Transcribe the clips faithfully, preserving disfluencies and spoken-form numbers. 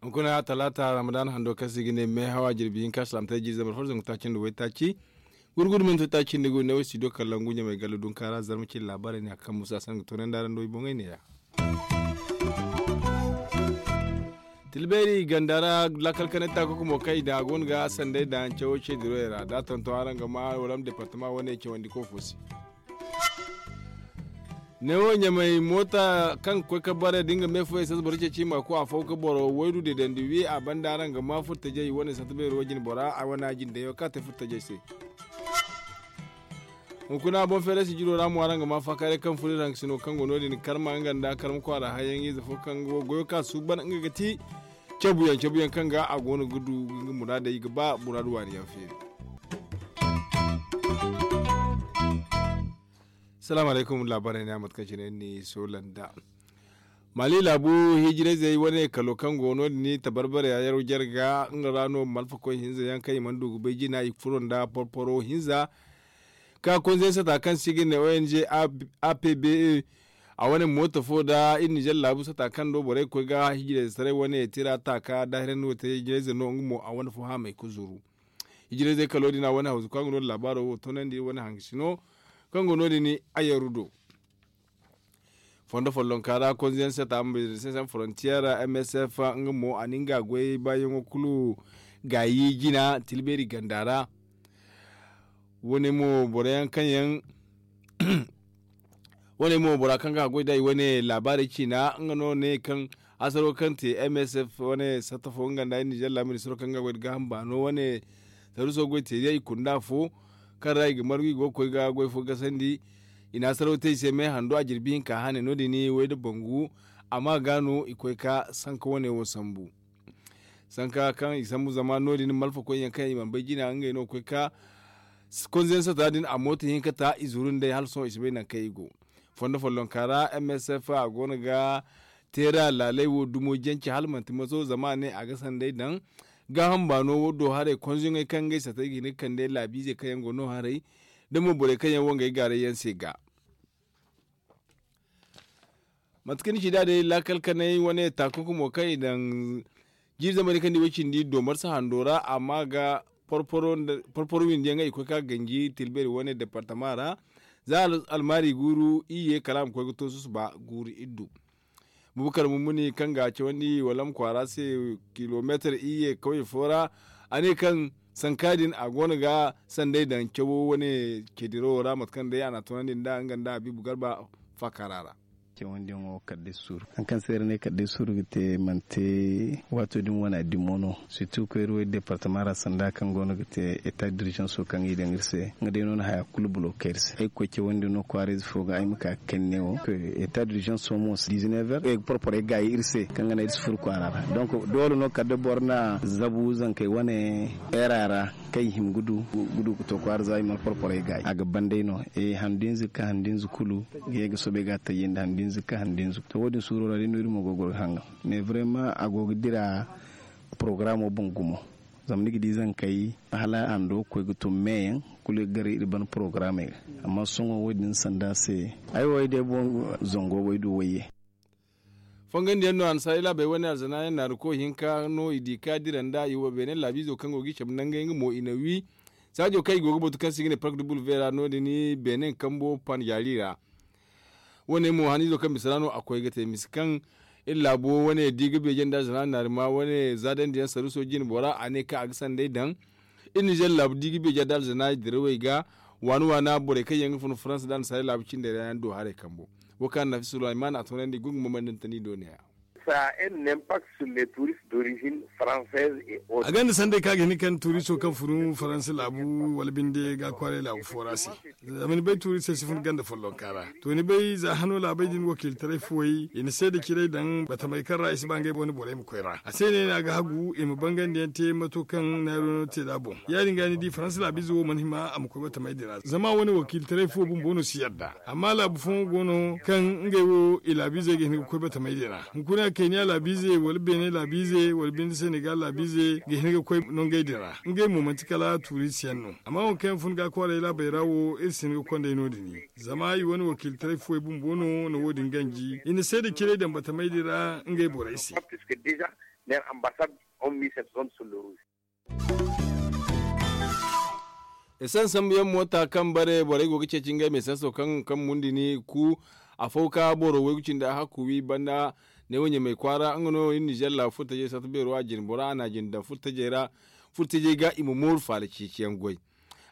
Hunkuna talaata ramadan hando kaŋ se i ga ne meehawa jirbi hinka salaamtey jiiri zambar fo zangu taaci nda waytaaci. Gurgudu manti taaci nda gu ne wo studio kalangu ɲamay galla dunka ra zarma cine laabaarey ne a kaŋ musa sangu toonay nda araŋ do i boŋey neeya. Tilbeeri ganda ra laakal kanay taakako mo kaŋ i daŋ a go no ga sanday daŋ cawo ce diroyey ra da a tonton araŋ ga ma wala ma departama wane cawandi koofo se. Neewo ɲamay moota kaŋ ga koy ka bare da nga me fo esans boro ceeci i ma ku afo ga boro waydu deedandi wi a banda araŋ ga ma furtajey wane sata beero jine bora a wane a jine dayo kaŋ a te furtajey se. Hunkuna boŋ feeray sijiro ra mo araŋ ga ma faakaaray kaŋ furo iri haŋ ga sino kaŋ go no- din karma nga nda karma kwaara hayaŋ ize fo kaŋ go goyo kaŋ a suuban nga ga ti cabuyaŋ cabuyaŋ kaŋ ga a go no ga du nga muraadey ga ba muraadu waani yaŋ feeri. Salaamu alaykum laabaarey ne a mate kaŋ cine ni soolanda. Maali laabu hijirayzey wane kalo kaŋ go no- din tabarbare a yaro jarga nga ra no malfakoy hinza yaŋ kaŋ i mana du ga bay jina i furo nda porporo hinza ka konze sata kaŋ se i ga ne ong. Apbe a wane mooto fo nda iri nizer laabu sata kaŋ do borey ga koy ga hijirayze taray wane tira taaka daahirandi wo te hijirayze no nga mo a wane fo haamay ga zuru. Hijirayzey kalo din a wane hawzu kaŋ ga no laabaaro wo toonandi wane haŋ ga sino kaŋ go no- din. Ayaru do fondo follonka ra konze yaŋ se ta msf frontier msf nga mo a na nga goy baayaŋo kulu gaayi jina tilbeeri ganda ra. Wane mo boro yaŋ kaŋ yaŋ wane mo bora kaŋ ga goy day wane laabaarey ciina nga no ne kaŋ asaro kaŋ te msf wane satta fo nga nda nizer laabu ministiro kaŋ ga goy da gaaham baano wane saruso goy te day i kunda fo kaŋ ra i ga margu i go ga koy ga goy fo gasandi. I na asaro te i se me hando a jirbi hinka hane no- din way da bangu. Amma ga no i koy ka sanka wane wo sambu sanka kaŋ i sambu zama no- din malfakoy yaŋ kaŋ i mana bay jina ngey no ga koy ka konze yaŋ sata din a mooto hinka ta i zuru nd'ey hala sohõ i si bay nangu kaŋ i go. Fondo follonka ra msf a go no ga teera laaley wo dumo jance hala manti maso zama a ne a ga sanday daŋ gaaham baano wo do haray konze yaŋey kaŋ ngey satey ga hin ga kande laabiizey kaŋ yaŋ go no haray da mo borey kaŋ yaŋ wangay gaaray yaŋ se ga. Mate kaŋ ni ci da day laakal kanay wane taakako mo kaŋ i daŋ jiiri zamani kaŋ di way cindi doomar si hando ra amma ga porporo windi yaŋ i koy ka ganji tilbeeri wane departama ra. Za almaari guuru iyye kala a ma koy ga to susuba guuru iddu. Bubakar mummuni kaŋ ga a cawandi walam kwaara se kilomeetar iyye kawye fo ra a ne kaŋ sanka din a go no ga sanday daŋ cawo wane cediro wo ra mate kaŋ day a na a tunandi nda nga nda habiibu garba faakaara ra. Cawandi yaŋo kala day suuru hari kaŋ se iri ne kala day suuru ga te manti waato din wane a dimo no. Sirtu koyri way departama ra sanda kaŋ go no ga te eta dirjanso kaŋ i daŋ iri se nga day no na haya kulu bulo kayri se ay ga koy cawandi no kwaarayze fo ga ay ma ka ga kani ne wo. Eta dirjanso mo dizinever ay ga porporay gaayi iri se kaŋ ga naŋ iri si furo kwaara ra. Donk doole no kala da boro na zabu zankey wane era ra kaŋ i hima ga du ga to kwaara za i mana porporay gaayi a ga ban day no. Handu hinza ga ka handu hinza kulu ga ye ga soobay ga a tayyandi handu hinza ga ka handu hinza to wo- din suuro ra day no iri mo go ga goro ga hangan. Mais vraiment a go ga dira porogaramo boŋ gumo. Zama ni ga di zankey hala hando ga koy ga tun meeyaŋ kulu ga gar iri ban porogaramey ga. Amma sohõ wo- din sanda se ay wo ay day boŋ zango wo ay du wayye. Fongandiyaŋ no annasaari laabey wane alzana yaŋ naari koy hinka no i di ka dira nda i wo beene laabiizo kaŋ go ga i cabe nangey nga mo i na wi saajo kaŋ i go ga batu kaŋ se i ga ne park du bulve ra no- din beene kambo panjaari ra. Wane mo haniizo kaŋ bisa ra no a koy ga te misa kaŋ iri laabo wane di ga beeje nda alzana naari ma wane zaadandi yaŋ saruuso jine bora a ne kaŋ a ga sanday daŋ. Iri nizer laabu di ga beeje nda alzana dirawey ga waani waana borey kaŋ yaŋ ga fun faransa nda annasaari laabu cindey ra yaŋ do haray kambo. Wo kaŋ annafi sulayman a toonandi gungu mamandantani do ne ya. A ganda sanday kaŋ a ga hin kaŋ tuuriso kaŋ fun faransa laabu wala binde ga kwaaray laabu fo ra se. Zama ni bay tuuri se si fun ganda follonka ra. To ni bay za hano laabey din wakiilitaray fuwey i na seeda ciray daŋ batamey kaŋ ra i si ba ngey wane borey ma koy ra a se ne no a ga hagu i ma bangandi yaŋ te mato kaŋ naaru no te da boŋ. Ya- din ga ni di faransa laabiize wo mana hima a ma koy batamey din ra zama wane wakiilitaray fuwo bumbo no si yadda. Amma laabu fooyaŋ go no kaŋ ngey wo i laabiizey ga hin ga koy batamey din ra hunkuna. kayniya laabiize wala beene laabiize wala binde senegal laabiize ga hin ga koy nongey din ra. Ngey mo manti kala tuurisiyaŋ no. Amma waŋ kaŋ yaŋ fun ga kwaaray laabey ra wo iri si hin ga kondey no- din. Zama i wane wakiiltaray fuwey bumbo no na wo- din ganji i na seeda ciray daŋ batamey din ra ngey borey se. Esanse sambu yaŋ moota kaŋ bare borey go ga ceeci ngey ma esanso kaŋ kaŋ mundi ni ku. Afo ka boro waygu cindi a hakku wi banda ne wo ɲamay kwaara nga no iri nizer laabu furtajey satta beero a jine bora a na a jine daŋ furtajey ra. Furtajey ga i ma mooru faala ceeci yaŋ goy.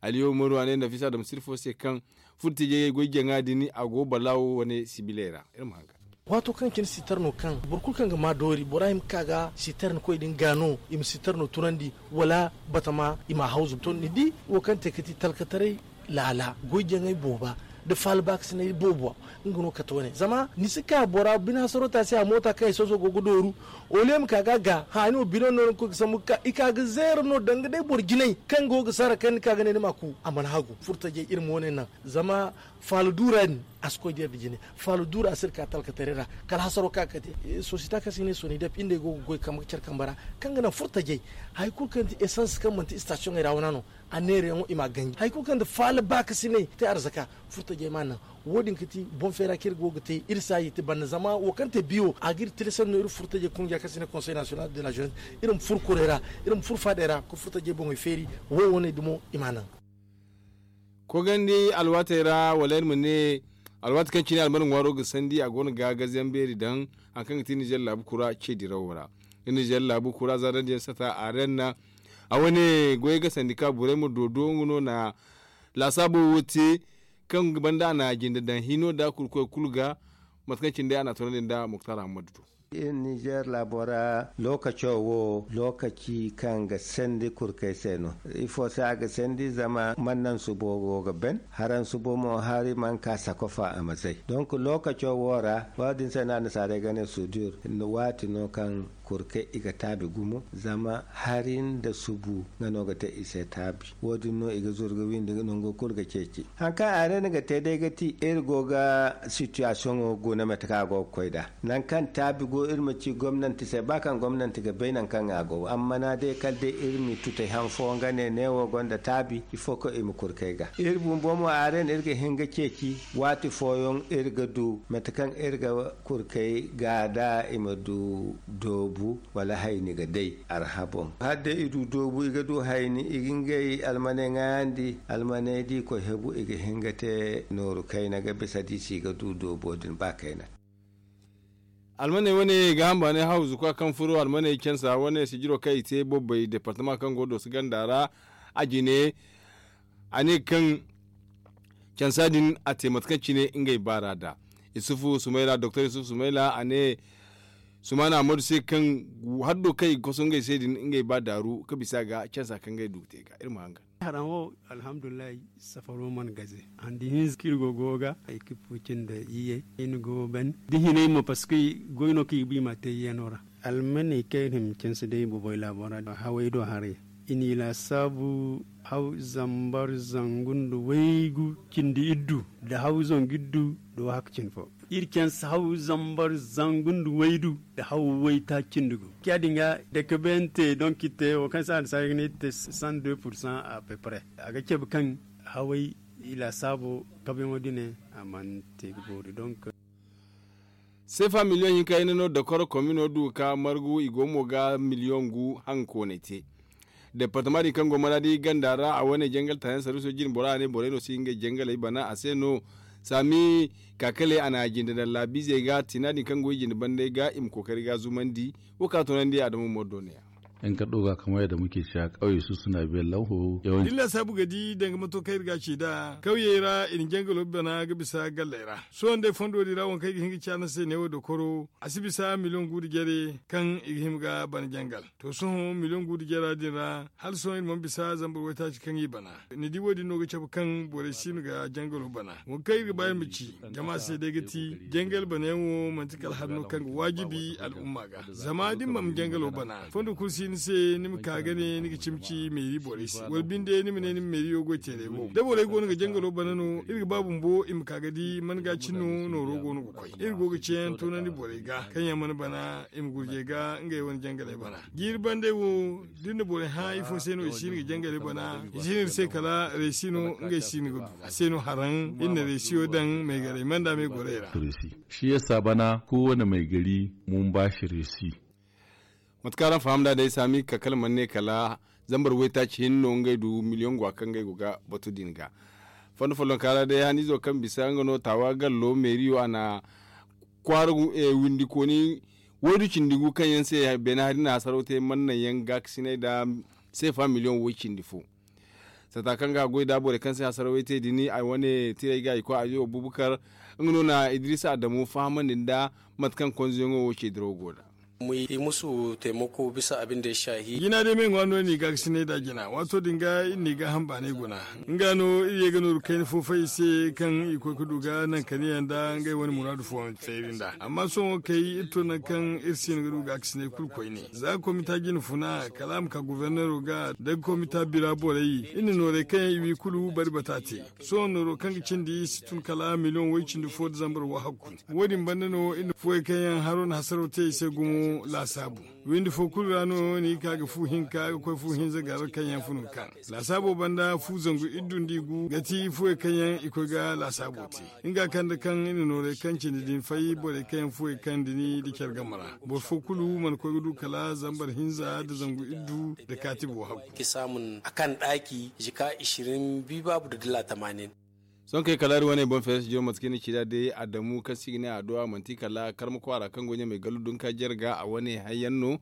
Aliyo umaru a ne nafisa daŋ sirfo se kaŋ furtajey goy jaŋa din a go balaawo wane sibiley ra. Iri ma haŋ ga. Waato kaŋ cine sitar no kaŋ boro kulu kaŋ ga maa doori bora hima ga ka ga sitar ni koy din ga no i ma sitar no tunandi wala batama i ma a hawzu to ni di wo kaŋ te ga ti talkataray laala goy jaŋay booba nda faala baakasinay boobo. Nga no kate wane zama ni si ka bora bine hasaro taasi a moota kaŋ ay soso go ga dooru. Ole ma ka ga ga haani wo bine no ni koy ga sambu ga ka i ka ga zeera no danga day boro jinay kaŋ go ga sara kaŋ ni ka ga ne ni ma ku a mana hagu furtajey iri ma wane naŋ. Zama faala duura din a si koy da iri da jine. Faala duura a si iri ka talkataray ra kala hasaro kaŋ a ga kate sosiyete kaŋ se i ne sonidep iri nd'ey go ga goy kambe ga care kambe ra kaŋ ga naŋ furtajey hari kulu kaŋ ti esans kaŋ manti istasiyoŋey ra wana no. A neerayaŋo i m'a ganji hari kulu kaŋ ti faala baakasinay te arzaka furtajey m'a naŋ. Wo- din ga ti boŋ feera kaŋ iri go ga te iri saaji te banda zama wo kaŋ te biyo a ga iri tilasandi no iri furtajey kungiya kaŋ se i ne konsey nasiyonal de la jeunesse iri ma furo kurey ra iri ma furo faadey ra ga furtajey boŋey feeri. Wo- wo ne dumo i m'a naŋ. Kogandi alwaatey ra wala iri ma ne alwaati kaŋ cine alman ŋwaaro ga sandi a go no ga gazayaŋ beeri daŋ hari kaŋ ga ti nizer laabu kura ce dirawo ra. Nizer laabu kura za daŋ da yaŋ sata a renna a wane goyey ga sandi ka borey ma doodo nga no na laasaabo wo te kaŋ banda a na a jinde daŋ hino nda kurkoy kulu ga. Mate kaŋ cine day a na a toonandi nda muktar hammadu do. Iri nizer laabo ra lookaco wo lookaci kaŋ ga sandi kurkey se no. Ifo se a ga sandi zama mannan subo go ga ben haran subo mo hari mana ka sakofa a ma zay donk lookaco wo ra wo- din se no annasaarey ga ne sudur. Waati no kaŋ kurkey i ga taabi gumo zama hari nda subu nga no ga te i se taabi. Wo- din no i ga zuru ga windi nango kulu ga ceeci hari kaŋ a ne ni ga te day ga ti iri go ga sitiyasiyoŋo guna mate kaŋ a go ga koy nd'a. Nangu kaŋ taabi go iri ma ci gomnanti se ba kaŋ gomnanti ga bay nangu kaŋ a go amma na day kala day iri ma i tutay han fooyaŋ ga ne neewo gonda taabi ifo kaŋ i ma kurkey ga iri bumbo mo a ra no iri ga hin ga ceeci. Waati fooyaŋ iri ga du mate kaŋ iri ga kurkey ga da i ma du doobu wala hayni ga day arha boŋ hala day i du doobu i ga du hayni i ga ngey almaney ŋaayandi almaney da i koy hebu i ga hin ga te nooru kayna ga bisa da i si ga du doobo din ba kayna. Almaney wane ga hamba ne hawzu kwa kaŋ furo almaney cansa wane sijiro kaŋ i te bobbay departama kaŋ go dooso ganda ra a jine a ne kaŋ cansa din a te mate kaŋ cine ngey baara da isufu sumayla doktor isufu sumayla a ne sumaana ammadu se kaŋ haddo kaŋ i ga koso ngey se din ngey ba daaru ga bisa ga cansa kaŋ ngey du ga te ga iri ma haŋ ga. Haraŋ wo alhamdulillahi safaro mana gaze handi hinza kaŋ iri go go ga ekipo cindi iyye iri go ban da hinay mo parceque goy no kaŋ i ga ba i ma te iyye no ra. Almaney kaŋ iri hima canse day boboy laabo ra hawey do haray i n'i laasaabu haw zambar zangu nda waygu cindi iddu nda haw zangu iddu nda wahakku cindi fo. Iri canse haw zambar zangu nda waydu nda haw waytaaci cindi gu. Ciya din ga dakabeyante donk iri te wo kaŋ se annasaarey ga ne iri te cent deux pourcent à peu près a ga cabe kaŋ hawey i laasaabo kabeyaŋo din a mana te ga boori donk. Seefa miliyoŋ hinka hinne no dokoro komino du ga ka margu i go mo ga miliyoŋ gu hankooney te. Departama din kaŋ go maraadi ganda ra a wane jangal taayaŋ sarwiso jine bora a ne borey no si ngey jangaley bana a se no. Saami kaakale a na a jinde daŋ laabiizey ga tina din kaŋ go i jinde bandey ga i ma kookari ga zumandi. Wo kaŋ a toonandi adama umaru do ne ya. Yan kardo ga kamar yadda muke cewa kauye su suna biyan lanho yawanci. Din lasaabu ga di danga mato kaŋ iri ga a ci nd'a kawyey ra i na jangalo bana ga bisa galley ra. Sohõ day fondo din ra waŋ kaŋ ay ga hin ga ci araŋ se neewo dokoro a si bisa miliyoŋ gu nda jare kaŋ i ga hima ga bana jangal. To sohõ miliyoŋ gu nda jara din ra hala sohõ iri mana bisa zambar waytaaci kaŋ i bana. Ni di wo- din no ga cabe kaŋ borey si no ga jangalo bana waŋ kaŋ iri ga ba iri ma ci. Jama se day ga ti jangal banayaŋo manti kala hari no kaŋ ga waajibi al'umma ga zama da ni mana jangalo bana fondo kulu si. Ni se ni ma ka ga ne ni ga cimi ci meeri borey se wala binde ni ma ne ni ma meeriyo goy teerey wo da borey go no ga jangalo bana no iri ga ba bumbo i ma ka ga di man ga cin no nooro go no ga koy iri go ga ceeyaŋ toonandi borey ga kaŋ yaŋ mana bana i ma gurjey ga ngey wane jangaley bana. Jiiri bandey wo da iri na borey hã ifo se no i si iri ga jangaley bana i si iri se kala reesi no ngey si iri ga du a se no haraŋ iri na reesiyo daŋ maygarey manda maygorey ra. Shi yasa bana kowane maygari mun ba shi reesi. Mate kaŋ araŋ faham nd'a day saami ka kala mana ne kala zambar waytaaci hinne no ngey du miliyoŋ gwa kaŋ ngey go ga batu din ga. Fondo follonka ra day haniizo kaŋ bisa nga no taawa gallo meeriyo a na kwaara windi kooni waydu cindi gu kaŋ yaŋ se beene hari na hasaraw te mana naŋ yaŋ gaakasinay nda seefa miliyoŋ way cindi fo. Sata kaŋ ga a goy da borey kaŋ se hasarawey te din ay wane tirey ga i koy ayo abubakar nga no na idrisa adamu fahamandi nda mate kaŋ konzoyaŋo wo ce dirawo go da. I musu taimako bisa abin da ya shahi. Jina day me ŋwa no ni ga ga sinay da jina waato din ga iri ni ga hamba ne guna nga no iri ye ga nooru kayna fo fay i se kaŋ i koy ga du ga naŋ kaniya nda ngey wane muraadu fo feeri nda amma sohõ kay iri to naŋ kaŋ iri si no ga du ga ga sinay kulu koyne za komita jina funa kala a ma ka gofornero ga da komita bira borey iri na noorey kaŋ yaŋ i wi kulu bari bata te. Sohõ nooro kaŋ ga cindi si tun kala miliyoŋ way cindi fo da zambar wahakku. Wo- din banda no iri na fuwey kaŋ yaŋ haro na hasaraw te i se gumo laasaabu. Windi fo kulu ra no ni ga ka ga fu hinka ga koy fu hinza gar kaŋ yaŋ funu ga ka laasaabo banda fu zangu iddu nda i gu ga ti fuwey kaŋ yaŋ i koy ga laasaabo te. Nga kaŋ da kaŋ i na noorey kaŋ cindi din fay borey kaŋ yaŋ fuwey kaŋ dini da care game ra boro fo kulu mana koy ga du kala zambar hinza da zangu iddu da kaati bo hakku. Ki samun a kan ɗaki jika ishirin bibabu da dala tamanin. Sohõ kay kala iri wane boŋ feere si jiro mate kaŋ i na ci nd'a day adamu kaŋ se i ga ne a do a manti kala karma kwaara kaŋ go ɲamey gallu dunka jare ga a wane hayyaŋ no.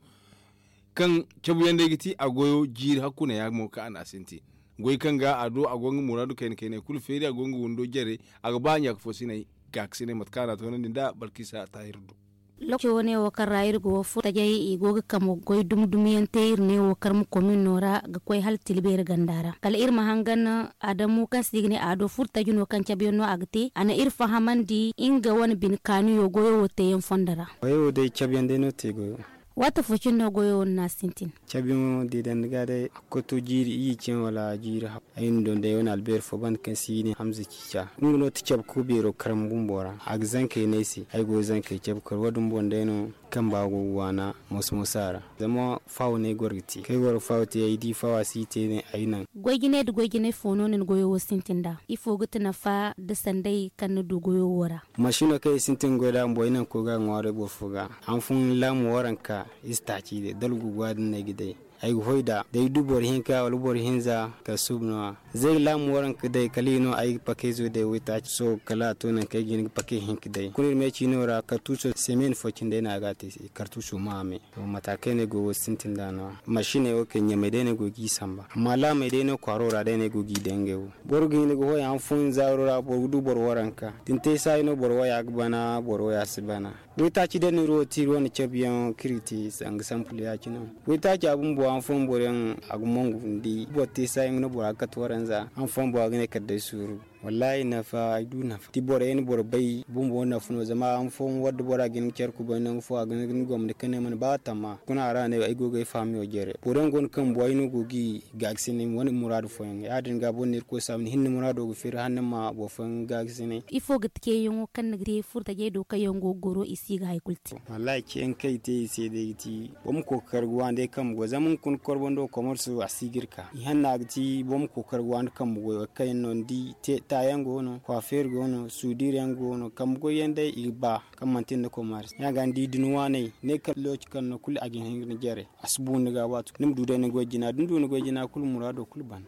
Kaŋ cabuyaŋ day ga ti a goyo jiiri hakku ne ya mo kaŋ a na a sintin goy kaŋ ga a do a go nga muraadu kayna kaynay kulu feeri a go nga windo jare. A ga ba ɲaaka fo sinay gaakasinay mate kaŋ a na a toonandi nda balkisa taahir do. Lookaci wane wo kaŋ ra iri go furtajey i go ga kamo goy dumi dumi yaŋ te iri ne wo karma komin no ra ga koy hala tilbeeri ganda ra kala iri ma hangan adamu kaŋ se i ga ne a do furtaji no kaŋ cabe yaŋ no a ga te a na iri fahamandi nga wane bine kaaniyo goyo wo te yaŋ fondo ra. Goyo wo day cabe yaŋ day no te goyo. Waati fo cine no goyo wo no na a sintin. Cabe yaŋo da i daŋ ni ga day a ga koy to jiiri iyye cine wala jiiri haw. Ay na doŋ day wane albeeri fo banda kaŋ se i ne hamza ciica nga no ti cabe ka beero karma bumbo ra a ga zankey no ay se ay go ga zankey cabe kar wo- din boŋ day no. Kamba go ga waana moso moso a ra zama faawo no ay goro ga te kaŋ ay goro ga faawo te ay di faawo a si i te ne ay naŋ. Goy jinay nda goy jinay fo no no ni goyo wo sintin nd'a? Ifo ga ti nafa nda sanday kaŋ ni du goyo wo ra? Masino kaŋ i sintin ga goy nd'a bumbo ay naŋ ga koy ga a ŋwaaray boro fo ga. Hanfooyaŋ laamu waranka i si taaci day dalgu ga din no ay ga day. Ay ga hoy nd'a da ay du boro hinka wala boro hinza kala suubu no- ya. Zay ga laamu waranka day kala i no ay ga pakayzo day waytaaci sohõ kala a to nangu kaŋ ay ga hin ga pakay hinka day kuna iri me ciino ra kartuuso semen fo cine day no a ga a te se kartuuso ma a me. To mata kaŋ ay ne ay go ga wo sintin nd'a no- ya masiney wo kay ɲamey day no ay go ga i samba amma laamey day no kwaaro ra day no ay go ga i daŋ ngey wo. Boro ga hin ga hoy hanfooyaŋ zaaro ra boro ga du boro waranka da ni te saayi no boro waya ga bana boro waya si bana. Waytaaci da ni iri wo te iri wane cabe yaŋ kaŋ iri ga te sanga sampul ya- cine. Waytaaca bumbo hanfooyaŋ boro yaŋ a ga mongu ni di boro te saayi nga no bora ga kate waranza hanfooyaŋ bora ga ne kala day suuru. Wallaahi nafa ay du nafa da borey na boro bay bumbo nafa no zama hanfooyaŋ war da bora ga hin ga care kubay nangu fo a ga hin ga ni gomni kaŋ ne mana ba tamma kuna a ra ne ay go ga ay faamiyo jare boro yaŋ go no kaŋ bumbo ay no go ga i gaakasinay wane muraadu fooyaŋ ya- din ga boro na irkoy saabu ni hinne muraado ga feeri hala ni ma boro fooyaŋ gaakasinay. Ifo ga ti ceeyaŋo kaŋ ni ga te furtajey do kaŋ yaŋ go ga goro i si ga hari kulu te? Wallaahi ceeyaŋ kaŋ i te i se day ga ti boro ma kookari ga waani day kambe goy zama hunkuna korbando komarso a si ga iri ka i hanna ga ti boro ma kookari ga waani kambe goy wo kaŋ yaŋ no ni di taayaŋ go no kwaafeer go no suudiir yaŋ go no kambe goy yaŋ day i ga ba kaŋ manti nda komarso ya- ga ni di da ni waaney ne kala looci kaŋ no kulu a ga hin ga ni jare. A si bu ni ga waati kulu ni ma du day ni goy jina da ni du ni goy jina kulu muraado kulu ban.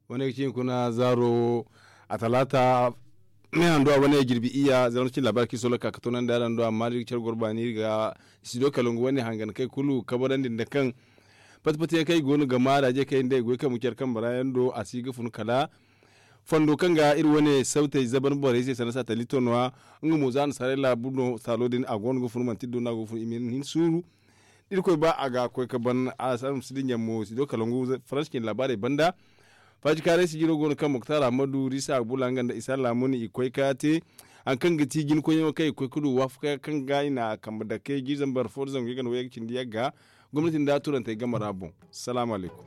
Wane ga ci hunkuna zaaro wo a talaata me handu a wane jirbi iyya zama cin laabaari kaŋ i solo ga ka ga toonandi araŋ do amma da iri ga care goro baani iri ga studio kalangu wane hangan kay kulu kabarandi nda kaŋ pati pati yaŋ kaŋ i go no ga maaraje kaŋ i nda i goy kambe care kambe ra yaŋ do a si ga fun kala fondo kaŋ ga iri wane sawtey zaban borey se sanda satalito no- ya. Nga mo za nasaarey laabu no saalo din a go no ga fun manti iri do no a go ga fun i ma hin suuru. Da irkoy ba a ga koy ga ban a si di ɲammo si do kalangu faransi cine laabaarey banda. Faajikaaray sijiro go no kaŋ moktar ahmadu risa agbula nga nda isa laamuni i koy ga te. hari kaŋ ga ti jinkoyyaŋo kaŋ i ga koy ga du waafaka kaŋ ga i na a kambe dake jiiri zambar fo nda zangu yagga nda wayyaŋ ga cindi yagga. Gomnati nda turantey game ra boŋ. Salaamu alaykum.